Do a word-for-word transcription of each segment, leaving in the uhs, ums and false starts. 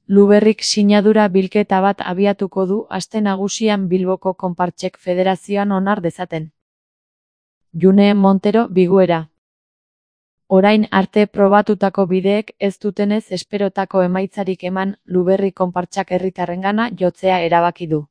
Luberrik sinadura bilketa bat abiatuko du aste nagusian Bilboko Konpartsek Federazioan onar dezaten. June Montero biguera. Orain arte probatutako bideek ez dutenez esperotako emaitzarik eman, Luberri Konpartsak herritarrengana jotzea erabaki du.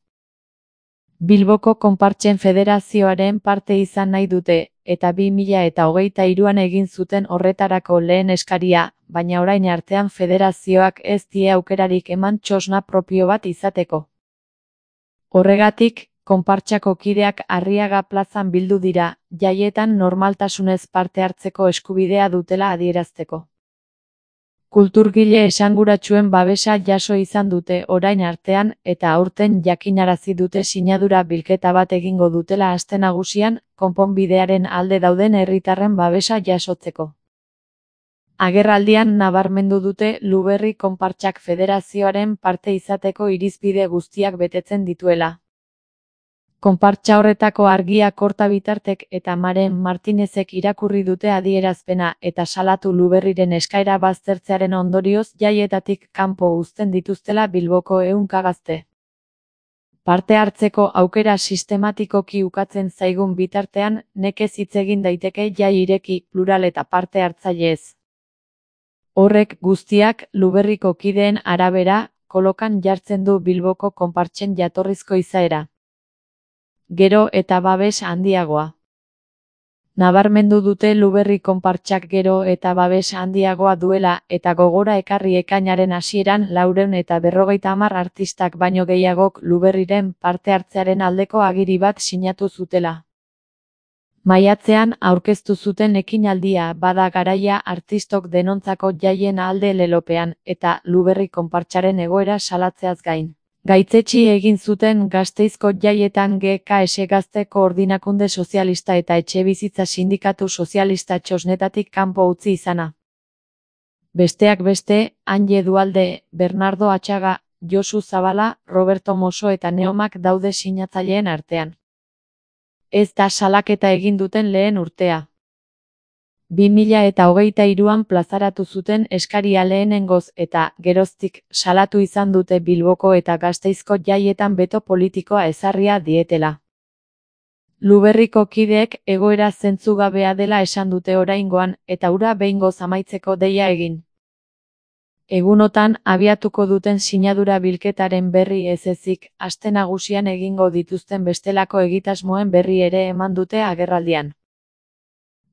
Bilboko Konpartsen Federazioaren parte izan nahi dute, eta bi mila eta hogeita hiruan egin zuten horretarako lehen eskaria, baina orain artean federazioak ez die aukerarik eman txosna propio bat izateko. Horregatik, Konpartsako kideak Arriaga plazan bildu dira, jaietan normaltasunez parte hartzeko eskubidea dutela adierazteko. Kulturgile esanguratsuen babesa jaso izan dute orain artean eta aurten jakinarazi dute sinadura bilketa bat egingo dutela aste nagusian, konponbidearen alde dauden herritarren babesa jasotzeko. Agerraldian nabarmendu dute Luberri Konpartsak Federazioaren parte izateko irizpide guztiak betetzen dituela. Konpartsa horretako Argia Korta Bitartek eta Maren Martinezek irakurri dute adierazpena eta salatu Luberriren eskaera baztertzearen ondorioz jaietatik kanpo uzten dituztela Bilboko ehunka gazte. Parte hartzeko aukera sistematikoki ukatzen zaigun bitartean, nekez hitz egin daiteke jai ireki, plural eta parte hartzaileez. Horrek guztiak, Luberriko kideen arabera, kolokan jartzen du Bilboko Konpartsen jatorrizko izaera. Gero eta babes handiagoa. Nabarmendu dute Luberri Konpartsak gero eta babes handiagoa duela eta gogora ekarri ekainaren hasieran laurehun eta berrogeita hamar artistak baino gehiagok Luberriren parte hartzearen aldeko agiri bat sinatu zutela. Maiatzean aurkeztu zuten ekinaldia bada garaia artistok denontzako jaien alde lelopean eta Luberri Konpartsaren egoera salatzeaz gain. Gaitzetsi egin zuten Gasteizko jaietan G K S Gazte Koordinakunde Sozialista eta Etxebizitza Sindikatu Sozialista txosnetatik kanpo utzi izana. Besteak beste, Anje Dualde, Bernardo Atxaga, Josu Zabala, Roberto Mosso eta Neomak daude sinatzaileen artean. Ez da salaketa egin duten lehen urtea. bi mila eta hogeita hiruan plazaratu zuten eskaria lehenengoz eta, geroztik, salatu izan dute Bilboko eta Gasteizko jaietan beto politikoa ezarria dietela. Luberriko kideek egoera zentzugabea dela esan dute oraingoan eta hura behingoz amaitzeko deia egin. Egunotan abiatuko duten sinadura bilketaren berri ez ezik, aste nagusian egingo dituzten bestelako egitasmoen berri ere eman dute agerraldian.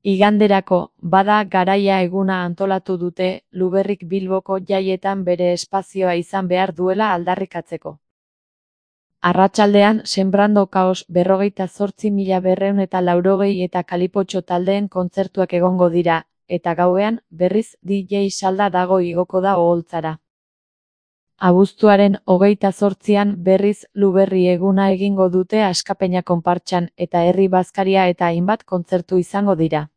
Iganderako, bada garaia eguna antolatu dute, Luberrik Bilboko jaietan bere espazioa izan behar duela aldarrikatzeko. Arratsaldean, Sembrando Kaos berrogeita zortzi mila berrehun eta laurogei eta Kalipotxo taldeen kontzertuak egongo dira, eta gauean, berriz D J salda dago igoko da oholtzara. Abuztuaren hogeita zortzian berriz Luberri eguna egingo dute Askapeña Konpartsan eta Herri Bazkaria eta hainbat kontzertu izango dira.